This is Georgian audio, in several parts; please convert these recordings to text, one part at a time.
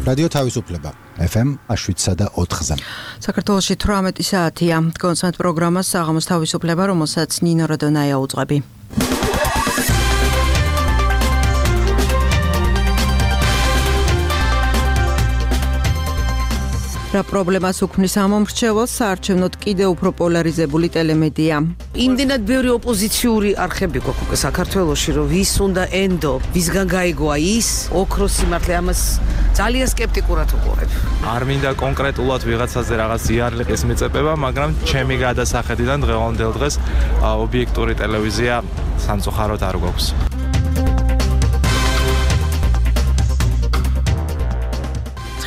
რადიო თავისუფლება FM 7.4-ზე. საქართველოში 18 საათია. კონსერტ პროგრამას საღამოს თავისუფლება, რომელსაც ნინო როდონაია უძღვები. რა პრობლემას უქმნის ამომრჩევლს საარჩევნოდ კიდევ უფრო პოლარიზებული ტელემედია. იმდენად ბევრი ოპოზიციური არხები გვაქვს საქართველოში, რომ ვის უნდა ენდო, ვისგან გაიგოა ის, ოქროს სიმართლე ამას ძალიან სკეპტიკურად უყურებ. არ მინდა კონკრეტულად ვიღაცაზე რაღაც იარლიყის მიწებება, მაგრამ ჩემი გადასახედიდან დღევანდელ დღეს ობიექტური ტელევიზია სამწუხაროდ არ გვაქვს.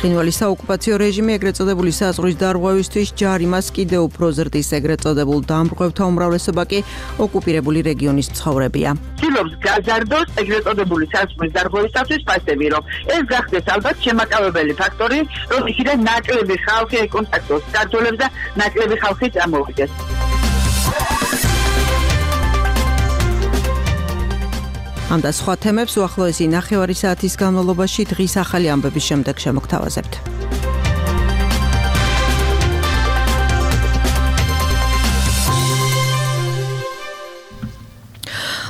ცხინვალის საოკუპაციო რეჟიმი ეგრეთ წოდებული საზღვრის დარღვევისთვის ჯარიმას კიდევ უფრო ზრდის, ეგრეთ წოდებულ დამპყრობთა უმრავლესობა კი ოკუპირებული რეგიონის მცხოვრებია. ცდილობს გაზარდოს ეგრეთ წოდებული საზღვრის დარღვევისათვის ფასები, რომ ეს გახდეს ალბათ შემაკავებელი ფაქტორი, რომ იქიდან ნაკლები ხალხი ეკონტაქტოს საქართველოს და ნაკლები ხალხი წამოვიდეს. ამ და სხვა თემებს უახლოესი ნახევარი საათის განმავლობაში დღის ახალი ამბების შემდეგ შემოგთავაზებთ.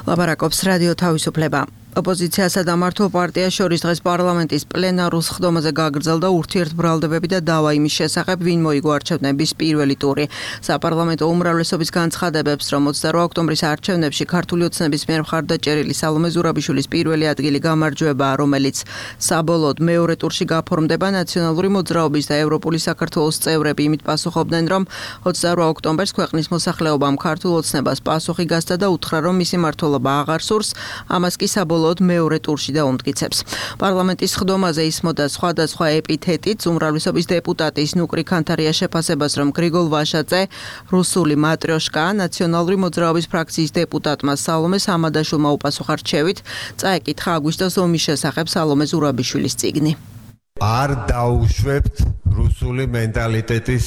ლაპარაკობს რადიო თავისუფლება. ოპოზიციასა და მართლ პარტიას შორის დღეს პარლამენტის პლენარულ სხდომაზე გაგრძელდა ურთიერთბრალდებები და დავა იმის შესახებ, ვინ მოიგო არჩევნების პირველი ტური. საპარლამენტო უმრავლესობის განცხადებებს, რომ 28 ოქტომბრის არჩევნებში ქართული ოცნების მიერ მხარდაჭერილი სალომე ზურაბიშვილის პირველი ადგილი გამარჯვებაა, რომელიც საბოლოოდ მეორე ტურში გაფორმდება. ნაციონალური მოძრაობის და ევროპული საქართველოს წევრები იმით პასუხობდნენ, რომ 28 ოქტომბერს ქვეყნის მოსახლეობამ ქართულ ოცნებას პასუხი გასცა და უთხრა, რომ მისი მმართველობა აღარ სურს, ამას კი საბოლოოდ მეორე ტურში დაუმტკიცებს. პარლამენტის სხდომაზე ისმოდა სხვადასხვა ეპითეტით უმრავლესობის დეპუტატის ნუკრი ქანთარია შეფასებას, რომ გრიგოლ ვაშაძე, რუსული მატრიოშკა, ნაციონალური მოძრაობის ფრაქციის დეპუტატმა სალომე სამადაშვილმა უპასუხა რჩევით, წაეკითხა აგვისტოს ომის შესახებ სალომე ზურაბიშვილის წიგნი. არ დაუშვებთ რუსული მენტალიტეტის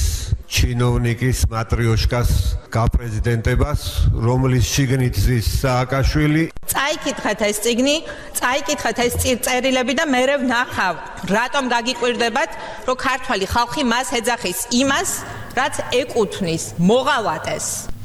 ჩინოვნიკის მატრიოშკას გაპრეზიდენტებას, რომლის შიგნით ზის სააკაშვილი. წაიკითხეთ ეს წიგნი, წაიკითხეთ ეს წერილები და მერე ვნახავ, რატომ გაგიკვირდებათ, რომ ქართველი ხალხი მას ეძახის იმას, რაც ეკუთვნის მოღალატეს.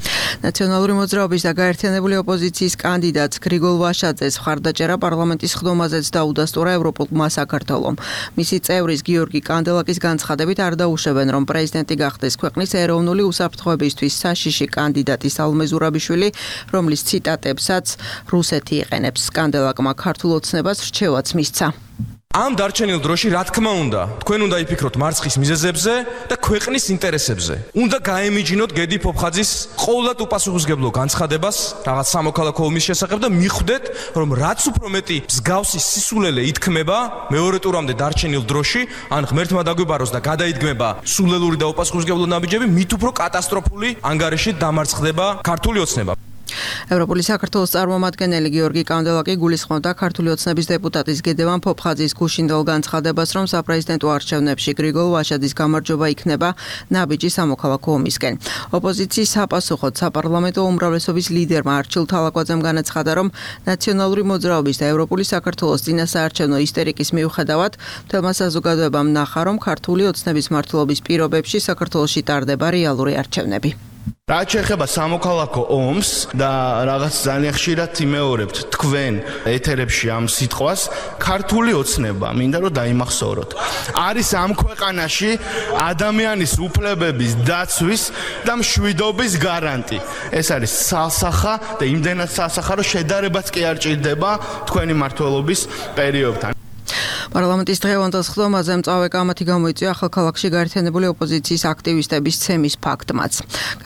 ნაციონალური მოძრაობის და გაერთიანებული ოპოზიციის კანდიდატს გრიგოლ ვაშაძეს მხარდაჭერა პარლამენტის სხდომაზეც დაუდასტურა ევროპულმა საქართველომ. მისი წევრის გიორგი კანდელაკის განცხადებით არ დაუშვებენ, რომ პრეზიდენტი გახდეს ქვეყნის ეროვნული უსაფრთხოებისთვის საშიში კანდიდატი სალომე ზურაბიშვილი, რომლის ციტატებსაც რუსეთი იყენებს. კანდელაკმა ქართულ ოცნებას რჩევაც მისცა. ამ დარჩენილ დროში რა თქმა უნდა, თქვენ უნდა იფიქროთ მარცხის მიზეზებზე და ქვეყნის ინტერესებზე. უნდა გაემიჯნოთ გედი ფოფხაძის ყოვლად უპასუხისმგებლო განცხადებას რაღაც სამოქალაქო ომის შესახებ და მიხვდეთ, რომ რაც უფრო მეტი მსგავსი სისულელე ითქმება მეორე ტურამდე დარჩენილ დროში, ან ღმერთმა დაგვიბაროს და გადაიდგმება სულელური და უპასუხისმგებლო ნაბიჯები, მით უფრო კატასტროფული ანგარიში დამარცხდება ქართული ოცნება. ევროპული საქართველოს წარმომადგენელი გიორგი კანდელაკი გულისხმობდა ქართული ოცნების დეპუტატის გედევან ფოფხაძის გუშინდელ განცხადებას, რომ საპრეზიდენტო არჩევნებში გრიგოლ ვაშაძის გამარჯვება იქნება ნაბიჯი სამოქალაქო ომისკენ. ოპოზიციის საპასუხოდ საპარლამენტო უმრავლესობის ლიდერმა არჩილ თალაკვაძემ განაცხადა, რომ ნაციონალური მოძრაობის და ევროპული საქართველოს წინასაარჩევნო ისტერიკის მიუხედავად, მთელმა საზოგადოებამ ნახა, რომ ქართული ოცნების მმართველობის პირობებში საქართველოში ტარდება რეალური არჩევნები. რაც შეეხება სამოქალაქო ომს და რაღაც ძალიან ხშირად იმეორებთ თქვენ ეთერებში ამ სიტყვას, ქართული ოცნება მინდა რომ დაიმახსოვროთ. არის ამ ქვეყანაში ადამიანის უფლებების დაცვის და მშვიდობის გარანტი. ეს არის სასახა და იმდენად სასახა, რომ შედარებაც კი არ ჭირდება თქვენი მმართველობის პერიოდთან. პარლამენტის დღევანდელ სხდომაზე მწვავე კამათი გამოიწვია ახალქალაქში გაერთიანებული ოპოზიციის აქტივისტების ცემის ფაქტმაც.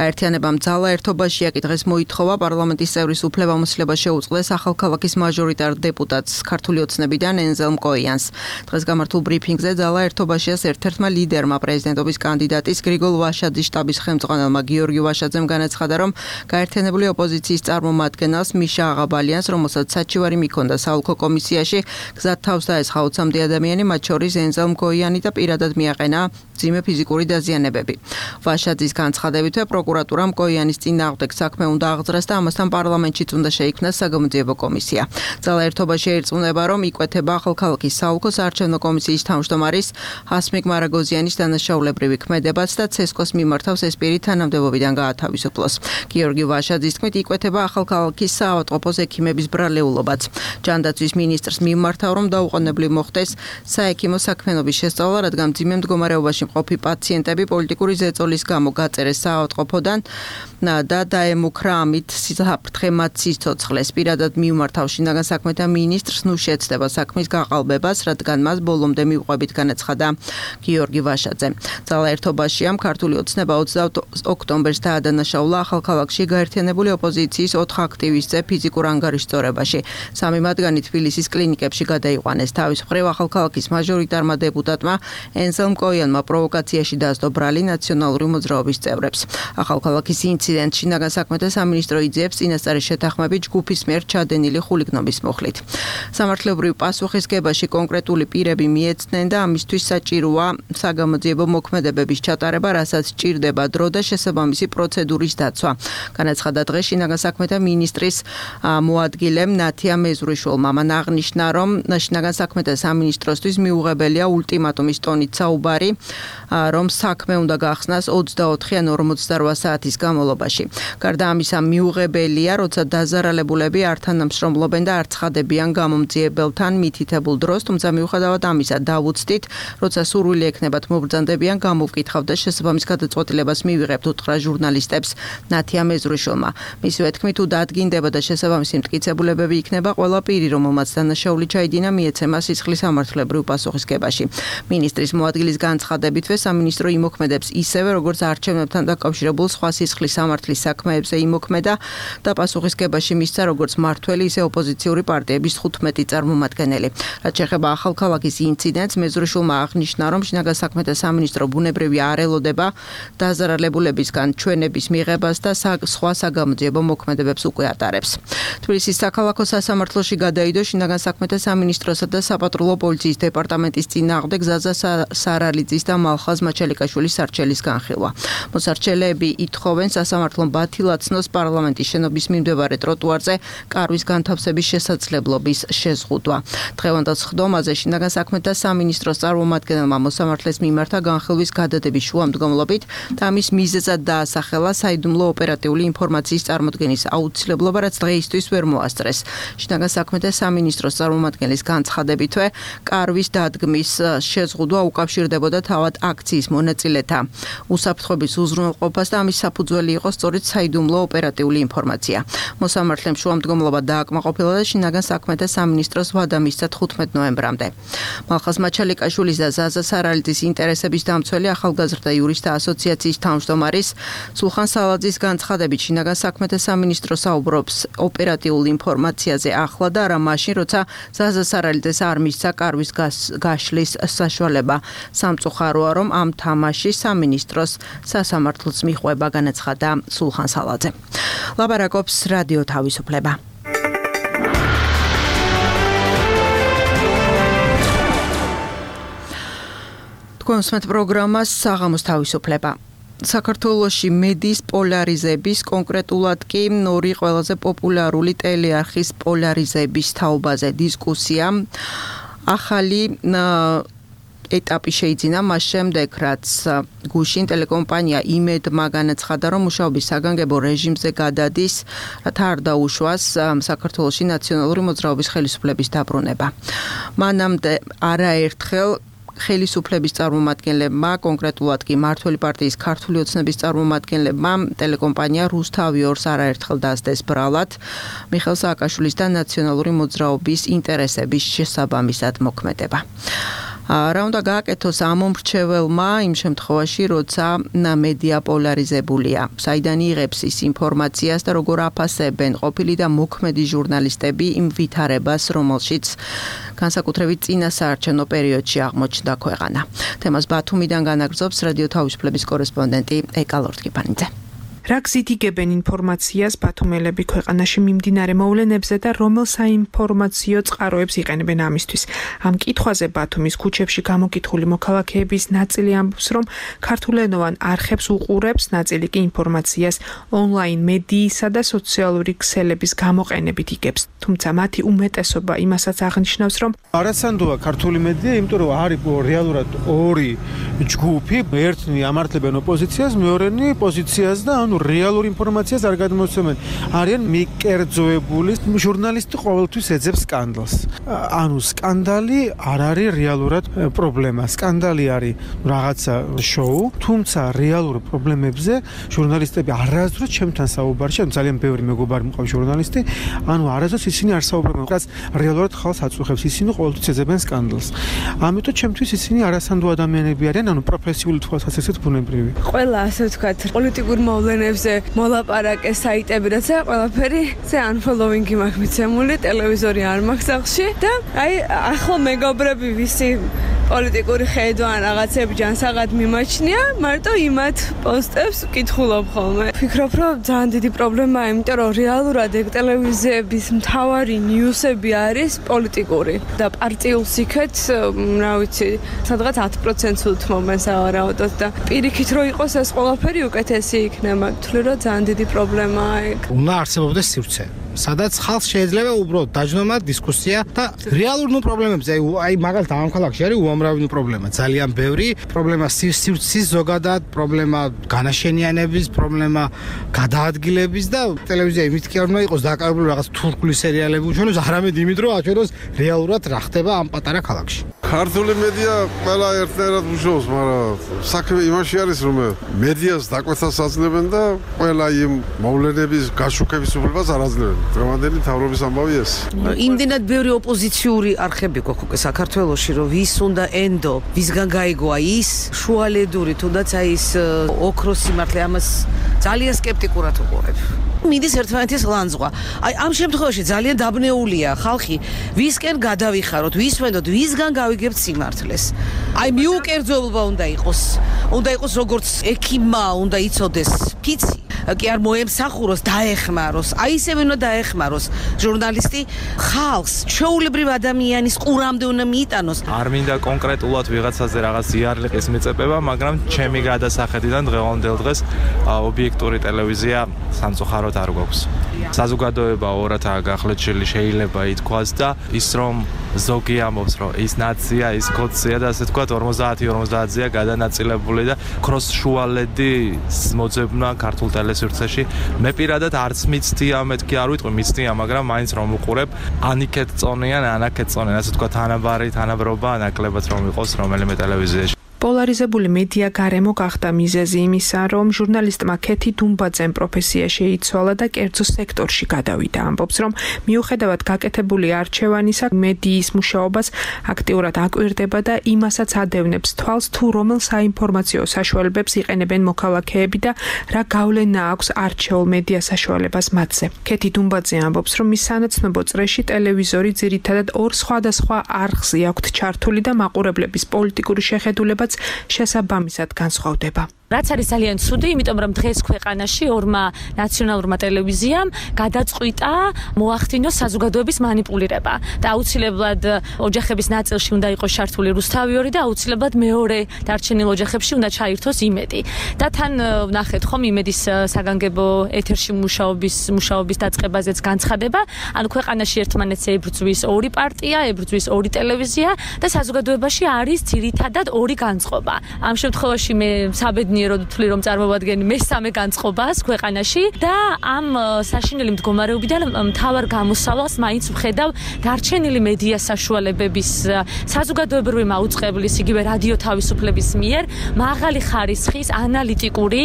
გაერთიანებამ ძალა ერთობაშია კი დღეს მოითხოვა პარლამენტის წევრის უფლებამოსილება შეუწყდეს ახალქალაქის მაჟორიტარ დეპუტატს ქართული ოცნებიდან ენზელ მკოიანს. დღეს გამართულ ბრიფინგზე ძალა ერთობაშიას ერთ-ერთმა ლიდერმა პრეზიდენტობის კანდიდატის გრიგოლ ვაშაძის შტაბის ხელმძღვანელმა გიორგი ვაშაძემ განაცხადა, რომ გაერთიანებული ოპოზიციის წარმომადგენელს მიშა აღაბალიანს, რომელსაც საჩივარი მიქონდა საოლქო კომისიაში, გზად თავს დაესხა 20 ოცამდე ადამიანი, მათ შორის ენზელ მგოიანი და პირადად მიაყენა მძიმე ფიზიკური დაზიანებები. ვაშაძის განცხადებითვე პროკურატურამ მგოიანის წინააღმდეგ საქმე უნდა აღძრას და ამასთან პარლამენტშიც უნდა შეიქმნას საგამოძიებო კომისია. ძალა ერთობაში ერწმუნება, რომ იკვეთება ახალქალაქის საოლქო საარჩევნო კომისიის თავმჯდომარის ჰასმիկ მარაგოზიანის დანაშაულებრივი ქმედებაც და ცესკოს მიმართავს ეს პირი თანამდებობიდან გაათავისუფლოს. გიორგი ვაშაძის თქმით, იკვეთება ახალქალაქის საავადმყოფოს ექიმების ბრალეულობაც. ჯანდაცვის მინისტრს მიმართავ, რომ დაუყოვნებლივ მოხდეს საექიმო საქმიანობის შესწავლა, რადგან მძიმე მდგომარეობაში მყოფი პაციენტები პოლიტიკური ზეწოლის გამო გაწერეს საავადმყოფოდან და დაემუქრა ამით საფრთხე მათ სიცოცხლეს. პირადად მიმართავ შინაგან საქმეთა მინისტრს ნუ შეცდება საქმის გაყალბებას, რადგან მას ბოლომდე მივყვებით განაცხადა გიორგი ვაშაძე. ძალა ერთობაში ამ ქართული ოცნება 20 ოქტომბერს დაადანაშაულა ახალქალაქში გაერთიანებული ოპოზიციის 4 აქტივისტზე ფიზიკურ ანგარიშწორებაში. 3 მათგანი თბილისის კლინიკებში გადაიყვანეს. თავის მხრივ ახალქალაქის მაჟორიტარმა დეპუტატმა ენზელ მკოიანმა პროვოკაციაში დასდო ბრალი ნაციონალური მოძრაობის წევრებს. ახალქალაქის ინციდენტში შინაგან საქმეთა სამინისტრო იძიებს წინასწარი შეთანხმებით ჯგუფის მიერ ჩადენილი ხულიგნობის მოხლით. სამართლებრივ პასუხისგებაში კონკრეტული პირები მიეცნენ და ამისთვის საჭიროა საგამოძიებო მოქმედებების ჩატარება, რასაც სჭირდება დრო და შესაბამისი პროცედურის დაცვა. განაცხადა დღეს შინაგან საქმეთა მინისტრის მოადგილემ ნათია მეზრუშვილმა. მან აღნიშნა, რომ შინაგან საქმეთა სამინისტროსთვის მიუღებელია ულტიმატუმის ტონით საუბარი, რომ საქმე უნდა გახსნას 24 ან 48 საათის განმავლობაში. გარდა ამისა, მიუღებელია, როცა დაზარალებულები არ თანამშრომლობენ და არ ცხადებიან გამომძიებელთან მითითებულ დროს, თუმცა მიუხედავად ამისა, დავუცდით, როცა სურვილი ექნებათ მობრძანდებიან, გამოვკითხავთ და შესაბამის გადაწყვეტილებას მივიღებთ, უთხრა ჟურნალისტებს ნათია მეზრუშვილმა. მისივე თქმით, თუ დადგინდება და შესაბამისი მტკიცებულებები იქნება, ყველა პირი, რომელმაც დანაშაული ჩაიდინა, მიეცემა სისხლის სამართლებრივ პასუხისგებაში. მინისტრის მოადგილის განცხადებითვე სამინისტრო იმოქმედებს ისევე, როგორც არჩევნებთან დაკავშირებულ სხვა სისხლის სამართლის საქმეებზე იმოქმედა და პასუხისგებაში მისცა როგორც მმართველი, ისე ოპოზიციური პარტიების 15 წარმომადგენელი. რაც შეეხება ახალქალაქის ინციდენტს, მეზრუშვილმა აღნიშნა, რომ შინაგან საქმეთა სამინისტრო ბუნებრივი არ ელოდება დაზარალებულებისგან ჩვენების მიღებას და სხვა საგამოძიებო მოქმედებებს უკვე ატარებს. თბილისის საქალაქო სასამართლოში გადაიდო შინაგან საქმეთა სამინისტროსა და საპატრულო პოლიციის დეპარტამენტის წინააღმდეგ ზაზა სარალიძის და მალხაზ მაჩალიკაშვილის სარჩელის განხილვა. მოსარჩელეები ითხოვენ სასამართლომ ბათილაცნოს პარლამენტის შენობის მიმდებარე ტროტუარზე კარვის განთავსების შესაძლებლობის შეზღუდვა. დღევანდელ სხდომაზე შინაგან საქმეთა სამინისტროს წარმომადგენელმა მოსამართლეს მიმართა განხილვის გადადების შუამდგომლობით და ამის მიზეზად დაასახელა საიდუმლო ოპერატიული ინფორმაციის წარმოდგენის აუცილებლობა, რაც დღეისთვის ვერ მოასწრეს. შინაგან საქმეთა სამინისტროს წარმომადგენლის განცხადებითვე, კარვის დადგმის შეზღუდვა უკავშირდებოდა თავად აქციის მონაწილეთა უსაფრთხოების უზრუნველყოფას და ამის საფუძველი იყო სწორედ საიდუმლო ოპერატიული ინფორმაცია. მოსამართლემ შუამდგომლობა დააკმაყოფილა და შინაგან საქმეთა სამინისტროს ვადა მისცა 15 ნოემბრამდე. მალხაზ მაჩალიკაშვილის და ზაზა სარალიძის ინტერესების დამცველი ახალგაზრდა იურისტთა ასოციაციის თავმჯდომარის სულხან სალაძის განცხადებით, შინაგან საქმეთა სამინისტრო საუბრობს ოპერატიულ ინფორმაციაზე ახლა და არა მაშინ, როცა ზაზა სარალიძეს არ მისცა კარვის გაშლის საშუალება. სამწუხაროა, რომ ამ თამაში სამინისტროს სასამართლოს მიხვება, განაცხადა სულხან სალაძე. ლაბარაკობს რადიო თავისუფლება. კონსმეთ პროგრამას საღამოს თავისუფლება. საქართველოში მედიის პოლარიზების, კონკრეტულად კი ორი ყველაზე პოპულარული ტელეარხის პოლარიზების თაობაზე დისკუსია ახალი ეტაპი შეიძინა მას შემდეგ, რაც გუშინ ტელეკომპანია იმედმა განაცხადა, რომ მუშაობის საგანგებო რეჟიმზე გადადის, რათა არ დაუშვას საქართველოში ნაციონალური მოძრაობის ხელისუფლების დაბრუნება. მანამდე არაერთხელ ხელისუფლების წარმომადგენლებმა, კონკრეტულად კი მმართველი პარტიის ქართული ოცნების წარმომადგენლებმა ტელეკომპანია რუსთავი-2-ს არაერთხელ დასდეს ბრალად მიხეილ სააკაშვილის და ნაციონალური მოძრაობის ინტერესების შესაბამისად მოქმედება. რა უნდა გააკეთოს ამ მომრჩეველმა იმ შემთხვევაში, როცა მედია პოლარიზებულია. საიდან იღებს ის ინფორმაციას და როგორ აფასებენ ყოფილი და მოქმედი ჟურნალისტები იმ ვითარებას, რომელშიც განსაკუთრებით წინა საარჩევნო პერიოდში აღმოჩნდა ქვეყანა. თემას ბათუმიდან განაგრძობს რადიო თავისუფლების კორესპონდენტი ეკა ლორთქიფანიძე. რა გზით იგებენ ინფორმაციას ბათუმელები ქვეყანაში მიმდინარე მოვლენებზე და რომელ საინფორმაციო წყაროებს იყენებენ ამისთვის. Ამ კითხვაზე ბათუმის ქუჩებში გამოკითხული მოქალაქეების ნაწილი ამბობს, რომ ქართულენოვან არხებს უყურებს, ნაწილი კი ინფორმაციას ონლაინ მედიისა და სოციალური ქსელების გამოყენებით იგებს. თუმცა მათი უმეტესობა იმასაც აღნიშნავს, რომ არასანდოა ქართული მედია, იმიტომ რომ არის რეალურად ორი ჯგუფი, ერთნი ამართლებენ ოპოზიციას, მეორენი პოზიციას და ანუ რეალურ ინფორმაციას არ გადმოსცემენ. არიან მიკერძოებული ჟურნალისტი ყოველთვის ეძებს სკანდალს. ანუ სკანდალი არ არის რეალურად პრობლემა. სკანდალი არის რაღაცა შოუ, თუმცა რეალურ პრობლემებზე ჟურნალისტები არასდროს ჩემთან საუბარში, ძალიან ბევრი მეგობარი მყავს ჟურნალისტი, ანუ არასდროს ისინი არ საუბრობენ, რაც რეალურად ხალხს აწუხებს, ისინი ყოველთვის ეძებენ სკანდალს. ამიტომ ჩემთვის ისინი არასანდო ადამიანები არიან, ანუ პროფესიული თვალსაზრისით ბუნებრივი. ყველა ასე ვთქვათ, პოლიტიკურ მოვლენებზე მოლაპარაკე საიტები, რაცა ყველაფერი ზე unfollowing-ი მაქვს მიცემული, ტელევიზორი არ მაქვს სახლში და ახლა მეგობრები ვისი პოლიტიკური ხედვა ან რაღაცები ჯანსაღად მიმაჩნია, მარტო იმათ პოსტებს ვკითხულობ ხოლმე. ვფიქრობ, რომ ძალიან დიდი პრობლემაა, იმიტომ რომ რეალურად ეგ ტელევიზიების მთავარი ნიუსები არის პოლიტიკური და პარტიულ სიქეთ, რა ვიცი, სადღაც 10%-ს უთმობენ სავარაუდოდ და პირიქით რო იყოს ეს ყველაფერი უკეთესი იქნება. თვლი რომ ძალიან დიდი პრობლემაა ეგ. უნდა არსებობდეს სივრცე. სადაც ხალხს შეიძლება უბრალოდ დაჯდომა დისკუსია და რეალურ პრობლემებზე, აი მაგალითად ამ ქალაქში არის უამრავი პრობლემა, ძალიან ბევრი პრობლემა სივრცის ზოგადად, პრობლემა განაშენიანების, პრობლემა გადაადგილების და ტელევიზია იმით კი არ უნდა იყოს დაკავებული რაღაც თურქული სერიალები უშენოს, არამედ იმით რომ აჩვენოს რეალურად რა ხდება ამ პატარა ქალაქში. ქართული მედია ყველა ერთნაირად მუშაობს, მაგრამ საქმე იმაში არის, რომ მედიას დაკვეთას აძლევენ და ყველა იმ მოვლენების გაშუქების უფლებას არ აძლევენ. დღევანდელი მთავრობის ამბავი ეს. იმდენად ბევრი ოპოზიციური არხები გვაქვს უკვე საქართველოში, რომ ვის უნდა ენდო, ვისგან გაიგოა ის შუალედური, თუნდაც აი ის ოქროსი მართლა ამას ძალიან სკეპტიკურად უყურებ. მიდის ერთმანეთის ლანძღვა. აი ამ შემთხვევაში ძალიან დაბნეულია ხალხი, ვისკენ გადავიხაროთ, ვის ვენდოთ, ვისგან გავიგებთ სიმართლეს. აი მიუკერძოება უნდა იყოს. უნდა იყოს როგორც ექიმმა უნდა იცოდეს ფიცი, კი არ მოემსახუროს, დაეხმაროს. აი ისევე უნდა დაეხმაროს ჟურნალისტი ხალხს, ჩვეულებრივ ადამიანის ყურამდე უნდა მიიტანოს. არ მინდა კონკრეტულად ვიღაცაზე რაღაც იარლიყის მიწებება, მაგრამ ჩემი გადასახედიდან დღევანდელ დღეს ობიექტური ტელევიზია სამწუხაროდ არ გვაქვს. საზოგადოება ორადაა გახლეჩილი, შეიძლება ითქვას და ის რომ ზოგი ამბობს, რომ ის ნაცია, ის კოცია და ასე თქვა 50-50-ზეა გადანაწილებული და ქროს შუალედი მოძებნა ქართულ ტელესივრცეში. მე პირადად არც მიცდია, მეთქი არ ვიტყვი მიცდია, მაგრამ მაინც რომ უყურებ, ანიქეთ წონიან, ანაკეთ წონიან, ასე თქვა თანაბრობა, ნაკლებად რომ იყოს რომელიმე ტელევიზიაში. პოლარიზებული მედია გარემო გახდა მიზეზი იმისა, რომ ჟურნალისტმა ქეთი დუმბაძემ პროფესია შეიცვალა და კერძო სექტორში გადავიდა. ამბობს, რომ მიუხედავად გაკეთებული არჩევანისა, მედიის მუშაობას აქტიურად აკვირდება და იმასაც ადევნებს თვალს, თუ რომელ საინფორმაციო საშუალებებს იყენებენ მოქალაქეები და რა გავლენა აქვს არჩეულ მედია საშუალებას მათზე. ქეთი დუმბაძე ამბობს, რომ მის სანაცნობო წრეში ტელევიზორი ძირითადად ორ სხვადასხვა არხზე აქვთ ჩართული და მაყურებლების პოლიტიკური შეხედულებაც შესაბამისად განსხვავდება. რაც არის ძალიან ცუდი, იმიტომ რომ დღეს ქვეყანაში ორმა ნაციონალურმა ტელევიზიამ გადაწყვიტა მოახდინოს საზოგადოების манипуლირება და აუცილებლად ოჯახების ნაწილში უნდა იყოს ჩართული რუსთავი და აუცილებლად მეორე დარჩენილ ოჯახებში უნდა ჩაირთოს იმედი. და თან ნახეთ ხომ იმედის საგანგებო ეთერში მუშაობის დაწყებაზეც განცხადება, ანუ ქვეყანაში ერთმანეთს ებრძვის ორი პარტია, ებრძვის ორი ტელევიზია და საზოგადოებაში არის ძირითადად ორი განწყობა. ამ შემთხვევაში მე საბედნიეროდ ვთვლი რომ წარმოვადგენი მესამე განწყობას ქვეყანაში და ამ საშინელი მდგომარეობიდან მთავარ გამოსავალს მაინც ვხედავ დარჩენილი მედია საშუალებების საზოგადოებრივი მაუწყებლის, იგივე რადიო თავისუფლების მიერ მაღალი ხარისხის ანალიტიკური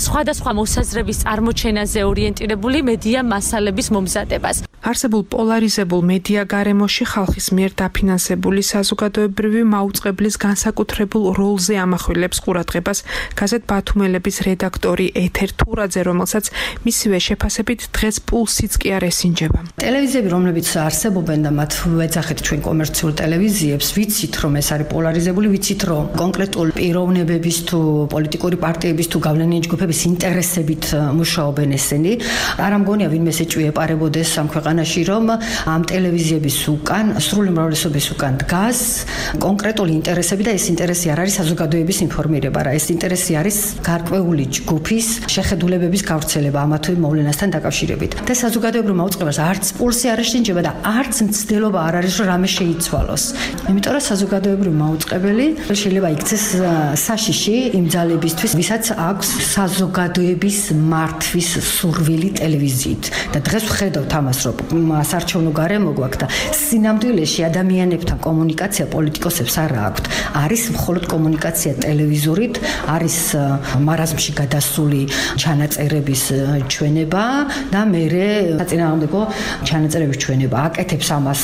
სხვადასხვა მოსაზრების წარმოჩენაზე ორიენტირებული მედია მასალების მომზადებას. არსებულ პოლარიზებულ მედია გარემოში ხალხის მიერ დაფინანსებული საზოგადოებრივი მაუწყებლის განსაკუთრებულ როლზე ამახვილებს ყურადღებას გაზეთ ბათუმელების რედაქტორი ეთერ თურაძე, რომელსაც მისივე შეფასებით დღეს პულსიც კი არ ესინჯება. ტელევიზიები, რომლებიც არსებობენ და მათ ვეძახით ჩვენ კომერციულ ტელევიზიებს, ვიცით რომ ეს არის პოლარიზებული, ვიცით რომ კონკრეტულ პიროვნებების თუ პოლიტიკური პარტიების თუ გავლენიანი ჯგუფების ინტერესებით მუშაობენ ესენი. არ ამგონია ვინმე ეჭვი ეპარებოდეს ამ ქვეყანაში, რომ ამ ტელევიზიების უკან, სრული უმრავლესობის უკან დგას კონკრეტული ინტერესები და ეს ინტერესი არ არის საზოგადოების ინფორმირება, რა ეს ინტერესი არის გარკვეული ჯგუფის შეხედულებების გავრცელება ამა თუ იმ მოვლენასთან დაკავშირებით. და საზოგადოებრივ მაუწყებლობას არც პულსი არ ეშინჯება და არც მცდელობა არ არის რომ რამე შეიცვალოს. იმიტომ რომ საზოგადოებრივ მაუწყებელი შეიძლება იქცეს საშიში იმ ძალებისთვის, ვისაც აქვს საზოგადოების მართვის სურვილი ტელევიზიით. და დღეს ვხედავთ ამას, რომ საარჩევნო გარემო გვაქვს და სინამდვილეში ადამიანებთან კომუნიკაცია პოლიტიკოსებს არ აქვთ. არის მხოლოდ კომუნიკაცია ტელევიზორით, არის მარაზმში გადასული ჩანაწერების ჩვენება და მერე საწინააღმდეგო ჩანაწერების ჩვენება. აკეთებს ამას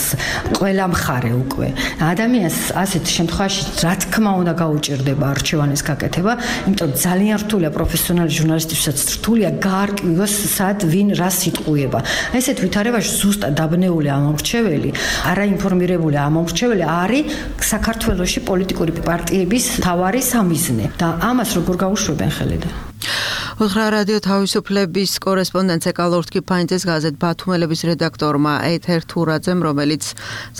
ყველა მხარე უკვე. ადამიანს ასეთ შემთხვევაში რა თქმა უნდა გაუჭირდება არჩევანის გაკეთება, იმიტომ რომ ძალიან რთულია პროფესიონალი ჟურნალისტებსაც რთულია გაარკვიოს სად ვინ რას იტყუება. ესეთ ვითარებაში ზუსტად დაბნეული ამომრჩეველი, არაინფორმირებული ამომრჩეველი არის საქართველოში პოლიტიკური პარტიების მთავარი სამიზნე და ამას როგორ გაუშვებენ ხელიდან. უთხრა რადიო თავისუფლების კორესპონდენტ კალორთკიფანიძეს გაზეთ ბათუმელების რედაქტორმა ეთერ თურაძემ, რომელიც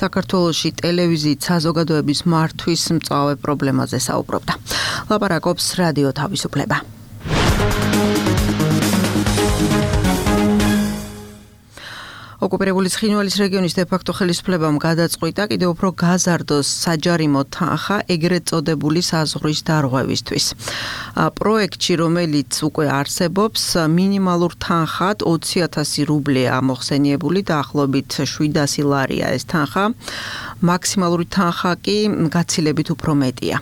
საქართველოში ტელევიზიით საზოგადოების მართვის მწვავე პრობლემაზე საუბრობდა. ლაპარაკობს რადიო თავისუფლება. ოკუპირებული ცხინვალის რეგიონის დე-ფაქტო ხელისუფლებამ გადაწყვიტა კიდევ უფრო გაზარდოს საჯარიმო თანხა ეგრეთ წოდებული საზღვრის დარღვევისთვის. პროექტში, რომელიც უკვე არსებობს, მინიმალურ თანხად 20,000 რუბლია მოხსენიებული, დაახლოებით 700 ლარია ეს თანხა. მაქსიმალური თანხა კი გაცილებით უფრო მეტია.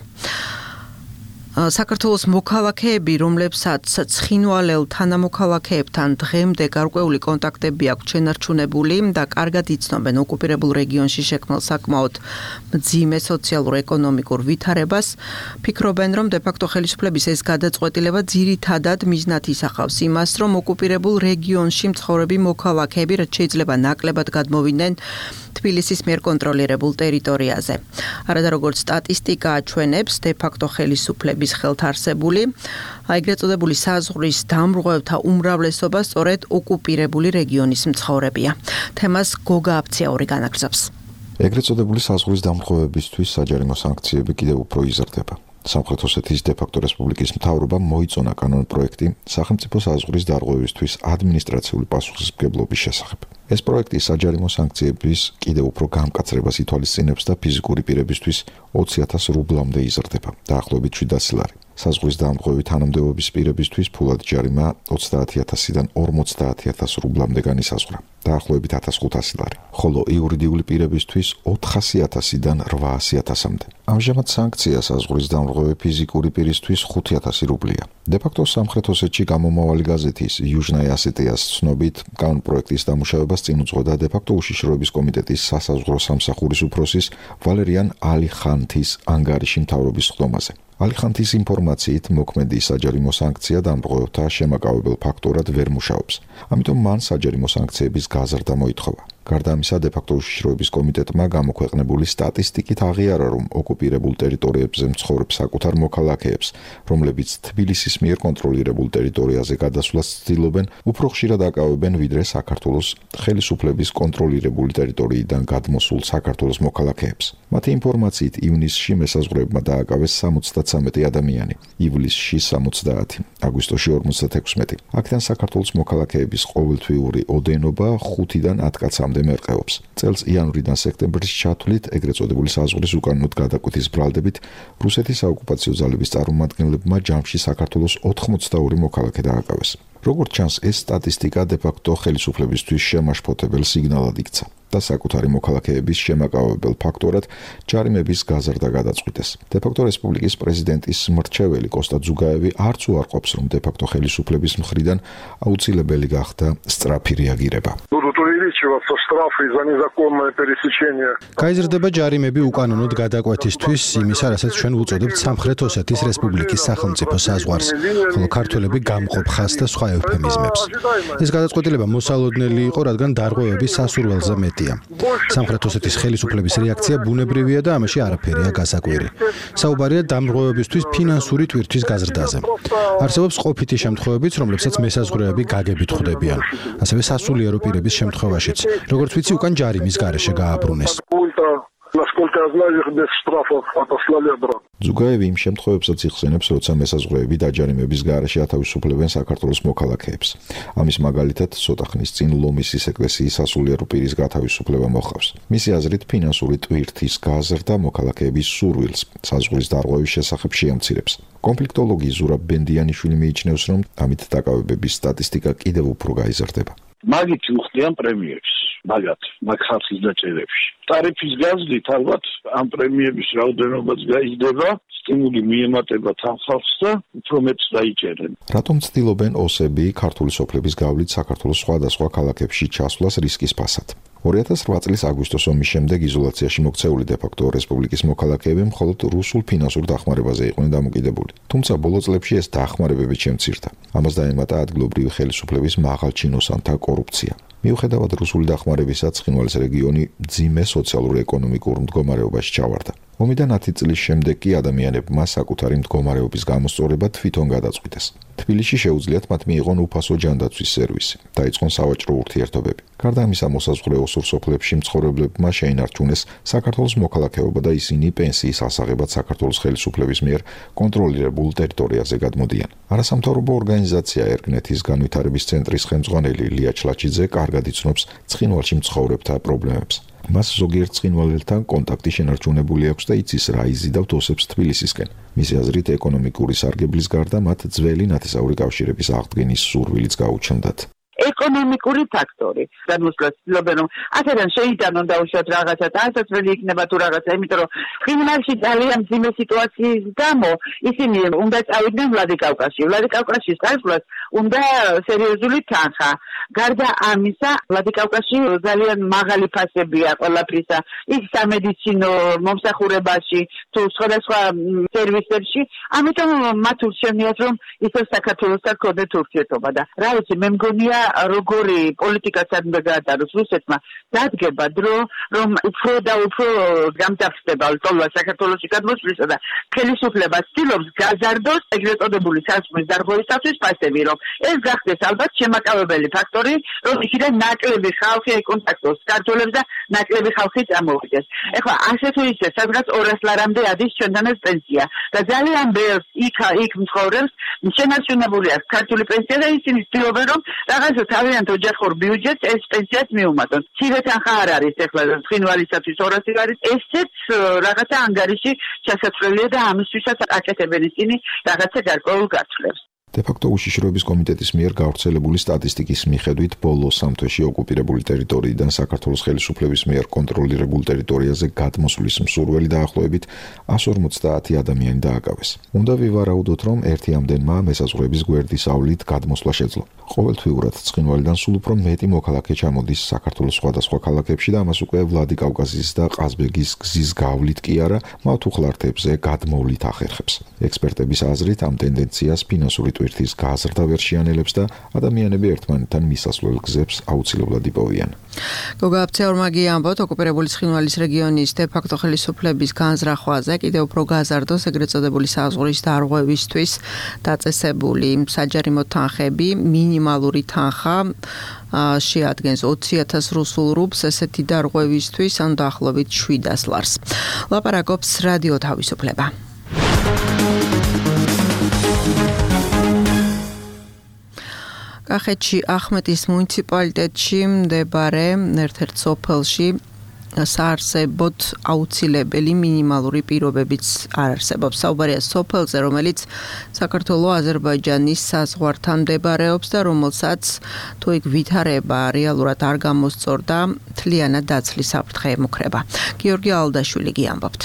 საქართველოს მოქალაქეები, რომლებსაც ცხინვალელ თანამოქალაქეებთან დღემდე გარკვეული კონტაქტები აქვს შენარჩუნებული და კარგად იცნობენ ოკუპირებულ რეგიონში შექმნილ საკმაოდ მძიმე სოციალურ-ეკონომიკურ ვითარებას, ფიქრობენ, რომ დე-ფაქტო ხელისუფლების ეს გადაწყვეტილება ძირითადად მიზნად ისახავს იმას, რომ ოკუპირებულ რეგიონში მცხოვრები მოქალაქეები რაც შეიძლება ნაკლებად გადმოვიდნენ თბილისის მიერ კონტროლირებულ ტერიტორიაზე. არადა როგორც სტატისტიკა აჩვენებს, დე-ფაქტო ხელისუფლების ხელთ არსებული, ეგრეთ წოდებული საზღვრის დამრღვევთა უმრავლესობა სწორედ ოკუპირებული რეგიონის მცხოვრებია. თემას გოგა აფციაური განაგრძობს. ეგრეთ წოდებული საზღვრის დამრღვევებისთვის საჯარიმო სანქციები კიდევ უფრო იზრდება. სამხრეთ ოსეთის დე-ფაქტო რესპუბლიკის მთავრობამ მოიწონა კანონპროექტი სახელმწიფო საზღვრის დარღვევისთვის ადმინისტრაციული პასუხისმგებლობის შესახებ. ეს პროექტი საჯარიმო სანქციების კიდევ უფრო გამკაცრებას ითვალისწინებს და ფიზიკური პირებისთვის 20,000 რუბლამდე იზრდება, დაახლოებით 700 ლარი. საზღვრის დამრღვევი თანამდებობის პირებისთვის ფულად ჯარიმა 30,000-დან 50,000 რუბლამდე განისაზღვრა, დაახლოებით 1,500 ლარი, ხოლო იურიდიული პირებისთვის 400,000-დან 800,000-მდე. ამჟამად სანქცია საზღვრის დამრღვევი ფიზიკური პირისთვის 5,000 რუბლია. დე-ფაქტო სამხრეთ ოსეთში გამომავალი გაზეთის იუჟნაია ასეტიას ცნობით, კანონპროექტის დამუშავებას წინ უძღვოდა დე-ფაქტო უშიშროების კომიტეტის სასაზღვრო სამსახურის უფროსის ვალერიან ალიხანთის ანგარიში მთავრობის ხდომაზე. ალიხანთის ინფორმაციით მოქმედი საჯარიმო სანქცია დამრღვევთა შემაკავებელ ფაქტორად ვერ მუშაობს. ამიტომ მან საჯარიმო სანქციების გაზრდა მოითხოვა. გარდა ამისა, დე-ფაქტო უშიშროების კომიტეტმა გამოქვეყნებული სტატისტიკით აღიარა, რომ ოკუპირებულ ტერიტორიებზე მცხოვრებ საკუთარ მოქალაქეებს, რომლებიც თბილისის მიერ კონტროლირებულ ტერიტორიაზე გადასვლას ცდილობენ, უფრო ხშირად აკავებენ, ვიდრე საქართველოს ხელისუფლების კონტროლირებული ტერიტორიიდან გადმოსულ საქართველოს მოქალაქეებს. მათი ინფორმაციით, ივნისში მესაზღვრეებმა დააკავეს 73 ადამიანი, ივლისში 70, აგვისტოში 56. აქედან საქართველოს მოქალაქეების ყოველთვიური ოდენობა 5-დან 10 კაცამდე მერყეობს. წელს იანვრიდან სექტემბრის ჩათვლით ეგრეთ წოდებული საზღვრის უკანონოდ გადაკვეთის ბრალდებით რუსეთის საოკუპაციო ძალების წარმომადგენლებმა ჯამში საქართველოს 82 მოქალაქე დააკავეს. როგორც ჩანს, ეს სტატისტიკა დე-ფაქტო ხელისუფლებისთვის შემაშფოთებელ სიგნალად იქცა და საკუთარი მოქალაქეების შემაკავებელ ფაქტორად ჯარიმების გაზრდა გადაწყვიტეს. დე-ფაქტო რესპუბლიკის პრეზიდენტის მრჩეველი კოსტა ძუგაევი არც უარყოფს, რომ დე-ფაქტო ხელისუფლების მხრიდან აუცილებელი გახდა სწრაფი რეაგირება. გაიზრდება ჯარიმები უკანონოდ გადაკვეთისთვის იმისა, რასაც ჩვენ ვუწოდებთ სამხრეთ ოსეთის რესპუბლიკის სახელმწიფო საზღვარს, ხოლო ქართველები გამყოფ ხაზს და სხვა ევფემიზმებს. ეს გადაწყვეტილება მოსალოდნელი იყო, რადგან დარღვევები სასურველზე მეტია. სამხრეთ ოსეთის ხელისუფლების რეაქცია ბუნებრივია და ამაში არაფერია გასაკვირი. საუბარია დამრღვევებისთვის ფინანსური ტვირთვის გაზრდაზე. არსებობს ყოფითი შემთხვევებიც, რომლებსაც მესაზღვრეები გაგებით ხვდებიან. ასევე სასულიერო პირების შემთხვევაშიც, როგორც ვიცი, უკან ჯარიმის გარეშე გააბრუნეს. ძუგაევი იმ შემთხვევებსაც იხსენებს, როცა მესაზღვრეები დაჯარიმების გარეშე ათავისუფლებენ საქართველოს მოქალაქეებს. ამის მაგალითად, ცოტა ხნის წინ ლომისის ეკლესიის სასულიერო პირის გათავისუფლება მოხავს. მისი აზრით, ფინანსური ტვირთის გაზრდა მოქალაქეების სურვილს საზღვრის დარღვევის შესახებ შეამცირებს. კონფლიქტოლოგი ზურაბ ბენდიანიშვილი მიიჩნევს, რომ ამით დაკავებების სტატისტიკა კიდევ უფრო გაიზრდება. მაგით უხდიან პრემიებს, მაგ ხალხის დაჭერებში. ტარიფის გაზრდით ალბათ ამ პრემიების რაოდენობაც გაიზრდება, სტიმული მიემატება თან ხალხს და უფრო მეტს დაიჭერენ. რატომ ცდილობენ ოსები ქართული სოფლების გავლით საქართველოს სხვადასხვა ქალაქებში ჩასვლას რისკის ფასად? 2008 წლის აგვისტოს ომის შემდეგ იზოლაციაში მოქცეული დე-ფაქტო რესპუბლიკის მოქალაქეები მხოლოდ რუსულ ფინანსურ დახმარებაზე იყვნენ დამოკიდებული. თუმცა ბოლო წლებში ეს დახმარებები შემცირდა. ამას დაემატა ადგილობრივი ხელისუფლების მაღალჩინოსანთა კორუფცია. მიუხედავად რუსული დახმარებისა, ცხინვალის რეგიონი მძიმე სოციალურ-ეკონომიკურ მდგომარეობაში ჩავარდა. ომიდან 10 წლის შემდეგ კი ადამიანებმა საკუთარი მდგომარეობის გამოსწორება თვითონ გადაწყვიტეს. თბილისში შეუძლიათ მათ მიიღონ უფასო ჯანდაცვის სერვისი, დაიწყონ სავაჭრო ურთიერთობები. გარდა ამისა, მოსაზღვრე ოსურ სოფლებში მცხოვრებლებმა შეინარჩუნეს საქართველოს მოქალაქეობა და ისინი პენსიის ასაღებად საქართველოს ხელისუფლების მიერ კონტროლირებულ ტერიტორიაზე გადმოდიან. არასამთავრობო ორგანიზაცია ერგნეთის განვითარების ცენტრის ხელმძღვანელი ლია ჩლაჩიძე კარგად იცნობს ცხინვალში მცხოვრებთა პრობლემებს. მას ზოგიერთ ცხინვალელთან კონტაქტი შენარჩუნებული აქვს და იცის რა იზიდავთ ოსებს თბილისისკენ. მისი აზრით, ეკონომიკური სარგებლის გარდა მათ ძველი ნათესაური კავშირების აღდგენის სურვილიც გაუჩნდათ. ეკონომიკური ფაქტორი. განმოსვლას ცდილობენ, რომ ასეთან შეიტანონ დაუშვათ რაღაცა და ასაცველი იქნება თუ რაღაცა, იმიტომ რომ ცხინვალში ძალიან მძიმე სიტუაციის გამო ისინი უნდა წავიდნენ ვლადიკავკაზში. ვლადიკავკაზში წასვლას უნდა სერიოზული თანხა. გარდა ამისა, ვლადიკავკაზში ძალიან მაღალი ფასებია ყველაფრისა. იქ სამედიცინო მომსახურებაში თუ სხვადასხვა სერვისებში, ამიტომ მათ ურჩევნიათ, რომ ისევ საქართველოსთან ჰქონდეთ ურთიერთობა და რა ვიცი, მე მგონია როგორი პოლიტიკასაც უნდა გაატაროს რუსეთმა, დადგება დრო, რომ უფრო და უფრო გამძაფრდება ლტოლვა საქართველოში გადმოსვლისა და ხელისუფლება ცდილობს გაზარდოს ეგრეთ წოდებული საზღვრის დარღვევისათვის ფასები, რომ ეს გახდეს ალბათ შემაკავებელი ფაქტორი, რომ იქიდან ნაკლები ხალხი ეკონტაქტოს ქართველებს და ნაკლები ხალხი წამოვიდეს. ეხლა ასე თუ ისე, სადღაც 200 ლარამდე ადის ჩვენთანაც პენსია და ძალიან ბევრს იქ მცხოვრებს შენარჩუნებული აქვს ქართული პენსია და ისინი ცდილობენ, რომ რაღაცა თავიანთ ოჯახურ ბიუჯეტს ეს პენსიაც მიუმატონ. მცირე თანხა არ არის ეხლა ცხინვალისათვის 200 არის, ესეც რაღაცა ანგარიში ჩასაცვლელია და ამისთვისაც აკეთებენ ისინი რაღაცა გარკვეულ გაცვლებს. დე-ფაქტო უშიშროების კომიტეტის მიერ გავრცელებული სტატისტიკის მიხედვით, ბოლო 3 თვეში ოკუპირებული ტერიტორიიდან საქართველოს ხელისუფლების მიერ კონტროლირებულ ტერიტორიაზე გადმოსვლის მსურველი დაახლოებით 150 ადამიანი დააკავეს. უნდა ვივარაუდოთ, რომ ერთი ამდენმა მესაზღვრეების გვერდის ავლით გადმოსვლა შეძლო. ყოველთვიურად ცხინვალიდან სულ უფრო მეტი მოქალაქე ჩამოდის საქართველოს სხვადასხვა ქალაქებში და ამას უკვე ვლადიკავკაზის და ყაზბეგის გზის გავლით კი არა, მავთუხლართებზე გადმოვლით ახერხებს. ექსპერტების აზრით, ამ ტენდენციას ფინანსური ტვირთის გაზრდა ვერ შეანელებს და ადამიანები ერთმანეთთან მისასვლელ გზებს აუცილებლად იპოვიან. გოგა აფცეორმაგი ამბობთ, ოკუპირებული ცხინვალის რეგიონის დე-ფაქტო ხელისუფლების განზრახვაზე კიდევ უფრო გაზარდოს ეგრეთ წოდებული საზღვრის დარღვევისთვის დაწესებული საჯარიმო თანხები, მინიმალური თანხა შეადგენს 20,000 რუსულ რუბლს, ესეთი დარღვევისთვის ან დაახლოებით 700 ლარს. ლაპარაკობს რადიო თავისუფლება. კახეთში ახმეტის მუნიციპალიტეტში მდებარე ერთ-ერთ სოფელში საარსებოდ აუცილებელი მინიმალური პირობებიც არ არსებობს. საუბარია სოფელზე, რომელიც საქართველოს აზერბაიჯანის საზღვართან მდებარეობს და რომელსაც თუ იქ ვითარება რეალურად არ გამოსწორდა, მთლიანად დაცლის საფრთხე ემუქრება. გიორგი ალდაშვილი გიამბობთ.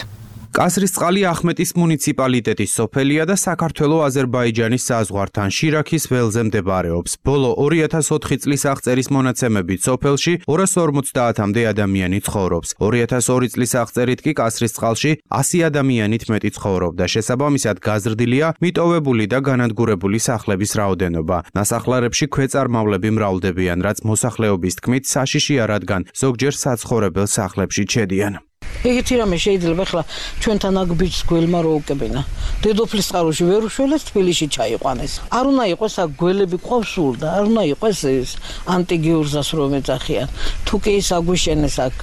კასრისწყალი ახმეტის მუნიციპალიტეტის სოფელია და საქართველოს-აზერბაიჯანის საზღვართან შირაქის ველზე მდებარეობს. ბოლო 2004 წლის აღწერის მონაცემებით სოფელში 250-მდე ადამიანი ცხოვრობს. 2002 წლის აღწერით კი კასრისწყალში 100 ადამიანით მეტი ცხოვრობდა. შესაბამისად გაზრდილია მიტოვებული და განადგურებული სახლების რაოდენობა. ნასახლარებში ქვეწარმავლები მრავლდებიან, რაც მოსახლეობის თქმით საშიშია, რადგან ზოგჯერ საცხოვრებელ სახლებში ჩედიან. ეგეთი რამე შეიძლება ახლა ჩვენთან აქ ბიჭს გველმა რო უკებინა. დედოფლის წყაროში ვერ უშველეს, თბილისში ჩაიყვანეს. არ უნდა იყოს აქ გველები ყავს სულ და არ უნდა იყოს ეს ანტიგიურზას რომ ეძახიან. თუ კი ის აგვიშენეს აქ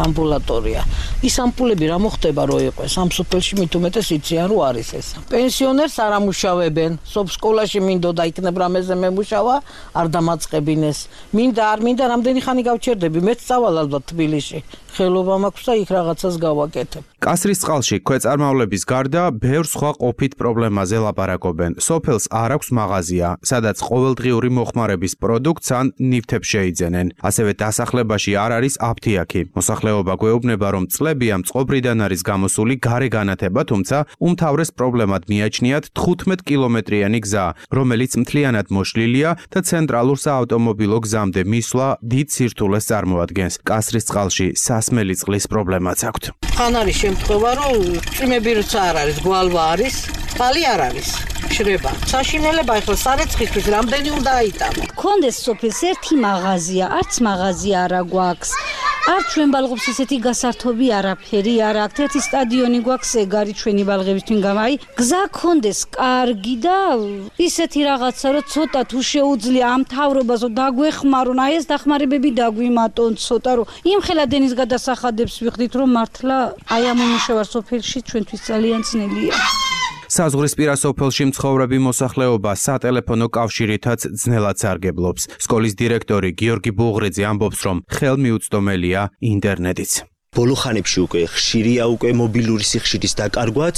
ამბულატორია. ის ამპულები რა მოხდება რო იყოს? ამ სოფელში მით უმეტეს იციან რო არის ეს. პენსიონერს არ ამუშავებენ. სკოლაში მინდოდა იქნებ რამეზე მემუშავა, არ დამაწყებინეს. მინდა არ მინდა რამდენი ხანი გავჩერდები? მეც წავალ ალბათ თბილისში. ხელობა მაქვს და იქ რაღაცას გავაკეთებ. კასრისწყალში ქვეწარმავლების გარდა ბევრ სხვა ყოფით პრობლემაზე ლაპარაკობენ. სოფელს არ აქვს მაღაზია, სადაც ყოველდღიური მოხმარების პროდუქტს ან ნივთებს შეიძენენ. ასევე დასახლებაში არ არის აფთიაქი. მოსახლეობა გვეუბნება, რომ წლები ამ წყობრიდან არის გამოსული გარე განათება, თუმცა უმთავრეს პრობლემად მიაჩნიათ 15 კილომეტრიანი გზა, რომელიც მთლიანად მოშლილია და ცენტრალურ საავტომობილო გზამდე მისვლა დიდ სირთულეს წარმოადგენს. კასრისწყალში სასმელი წყლის პრობლემაც აქვს. ხან არის შემთხვევა, რომ წვიმები როცა არ არის, გვალვა არის, წყალი არ არის. შრება. საშინელება ახლა სარეცხისთვის რამდენი უნდა აიტანო? კონდეს სოფელს ერთი მაღაზია, არც მაღაზია არა გვაქვს. არ ჩვენ ბალღობს ისეთი გასართობი არაფერი არ აქვს. ერთი სტადიონი გვაქვს ეგარი ჩვენი ბალღების თვინ გამაი. გზა კონდეს კარგი და ისეთი რაღაცა რომ ცოტა თუ შეუძლია ამ თავრობას რომ დაგვეხმარონ, აი ეს დახმარებები დაგვიმატონ ცოტა რომ იმხელა დენის გადასახადებს ვიხდით რომ მართლა აი ამ უმუშევარ სოფელში ჩვენთვის ძალიან ძნელია. საზღვრისპირა სოფელში მცხოვრები მოსახლეობა სატელეფონო კავშირითაც ძნელად სარგებლობს. სკოლის დირექტორი გიორგი ბუღრიძე ამბობს, რომ ხელმიუწვდომელია ინტერნეტიც. ბოლო ხანებში უკვე ხშირია უკვე მობილური სიხშირის დაკარგვაც,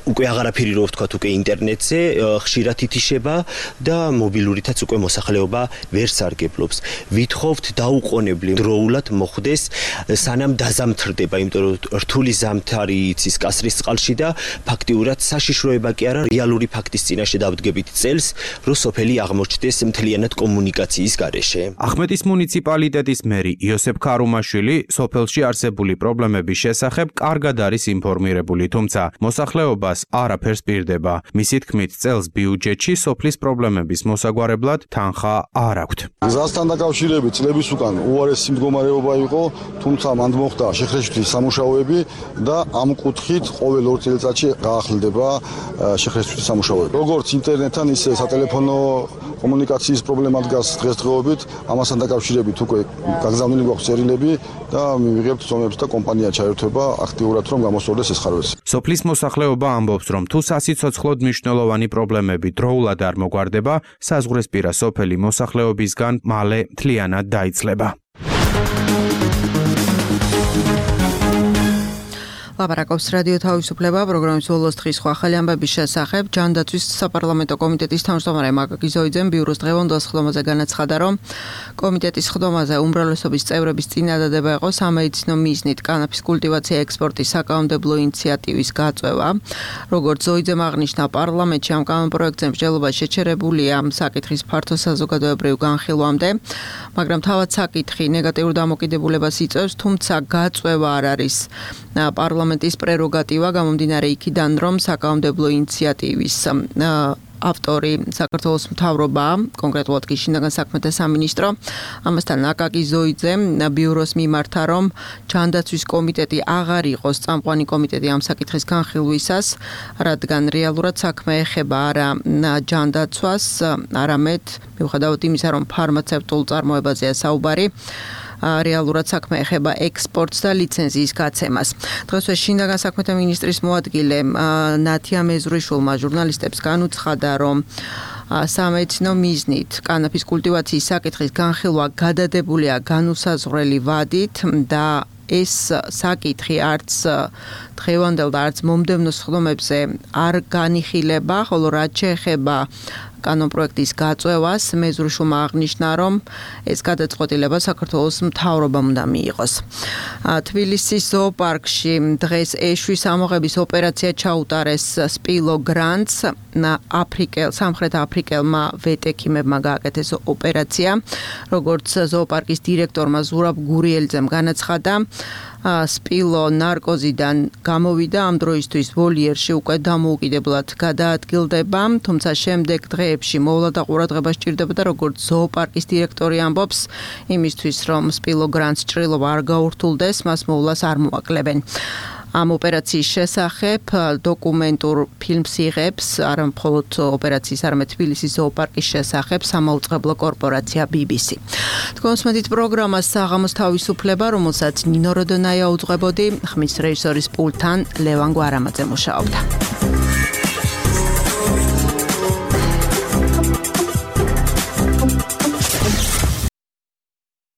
უკვე აღარაფერი რო ვთქვათ უკვე ინტერნეტზე ხშირად ითიშება და მობილურითაც უკვე მოსახლეობა ვერ სარგებლობს. ვითხოვთ დაუყოვნებლი დროულად მოხდეს სანამ დაზამთრდება, იმიტომ რომ რთული ზამთარი იცის კასრისწყალში და ფაქტიურად საშიშროება კი არა, რეალური ფაქტის წინაშე დავდგებით წელს, რომ სოფელი აღმოჩნდეს მთლიანად კომუნიკაციის გარეშე. ახმეტის მუნიციპალიტეტის მერი იოსებ ქარუმაშვილი სოფელში არსებული პრობლემების შესახებ კარგად არის ინფორმირებული, თუმცა მოსახლეობას არაფერს პირდება. მისი თქმით, წელს ბიუჯეტში სოფლის პრობლემების მოსაგვარებლად თანხა არ აქვთ. გზასთან დაკავშირებით წლების უკან უარესი მდგომარეობა იყო, თუმცა მანდ მოხდა შეხრეშთის სამუშაოები და ამ კუთხით ყოველ 2 წელიწადში გაახლდება შეხრეშთის სამუშაოები. როგორც ინტერნეტთან, ისე სატელეფონო კომუნიკაციის პრობლემა დგას დღესდღეობით, ამასთან დაკავშირებით უკვე გაგზავნილი გვაქვს წერილები და მივიღებთ ზომებს და კომპანია ჩაერთვება აქტიურად რომ გამოსწორდეს ეს ხარვესი. სოფლის მოსახლეობა ამბობს, რომ თუ სასიცოცხლოდ მნიშვნელოვანი პრობლემები დროულად არ მოგვარდება, საზღვრისპირა სოფელი მოსახლეობისგან მალე მთლიანად დაიცლება. ლაპარაკობს რადიო თავისუფლება პროგრამის ბოლოს დღის სხვა ახალი ამბების შესახებ. ჯანდაცვის საპარლამენტო კომიტეტის თავმჯდომარე მაკაკი ზოიძემ ბიუროს დღევანდელ სხდომაზე განაცხადა, რომ კომიტეტის სხდომაზე უმრავლესობის წევრების წინადადება იყო სამედიცინო მიზნით კანაფის კულტივაცია ექსპორტის საკანონმდებლო ინიციატივის გაწევა. როგორც ზოიძემ აღნიშნა, პარლამენტში ამ კანონპროექტზე მსჯელობა შეჩერებულია საკითხის ფართო საზოგადოებრივ განხილვამდე, მაგრამ თავად საკითხი ნეგატიურ დამოკიდებულებას იწვევს, თუმცა გაწევა არ არის პარლამენტის პრეროგატივა, გამომდინარე იქიდან, რომ საკანონმდებლო ინიციატივის ავტორი საქართველოს მთავრობა, კონკრეტულად კი შინაგან საქმეთა სამინისტრო. ამასთან აკაკი ზოიძე ბიუროს მიმართა, რომ ჯანდაცვის კომიტეტი აღარ იყოს წამყვანი კომიტეტი ამ საკითხის განხილვისას, რადგან რეალურად საქმე ეხება არა ჯანდაცვას, არამედ მიუხედავად იმისა, რომ ფარმაცევტულ წარმოებაზეა საუბარი, რეალურად საქმე ეხება ექსპორტს და ლიცენზიის გაცემას. დღესვე შინაგან საქმეთა მინისტრის მოადგილე ნათია მეზრიშვილმა ჟურნალისტებს განუცხადა, რომ სამედიცინო მიზნით კანაფის კულტივაციის საკითხის განხილვა გადადებულია განუსაზღვრელი ვადით და ეს საკითხი არც დღევანდელ და არც მომდევნო სხდომებზე არ განიხილება, ხოლო რაც შეეხება კანონპროექტის გაწევას, მეზრუშულმა აღნიშნა, რომ ეს გადაწყვეტილება საქართველოს მთავრობამ უნდა მიიღოს. თბილისის ზოოპარკში დღეს ეშვის ამოღების ოპერაცია ჩაუტარეს სპილო გრანტს, სამხრეთ აფრიკელმა ვეტექიმებმა გააკეთეს ოპერაცია, როგორც ზოოპარკის დირექტორმა ზურაბ გურიელიძემ განაცხადა, სპილო ნარკოზიდან გამოვიდა, ამ დროისთვის ვოლიერში უკვე დამოუკიდებლად გადაადგილდება, თუმცა შემდეგ დღეებში მოვლა და ყურადღება სჭირდება და როგორც ზოოპარკის დირექტორი ამბობს, იმისთვის რომ სპილო გრანტს ჭრილობა არ გაურთულდეს, მას მოვლას არ მოაკლებენ. ამ ოპერაციის შესახებ დოკუმენტურ ფილმს იღებს არა მხოლოდ ოპერაციის, არამედ თბილისის ზოოპარკის შესახებ სამაუწყებლო კორპორაცია BBC. თქვენს მედით პროგრამას საღამოს თავისუფლება, რომელსაც ნინო როდონაია უძღვებოდი, ხმის რეჟისორის პულტთან ლევან გვარამაძე მუშაობდა.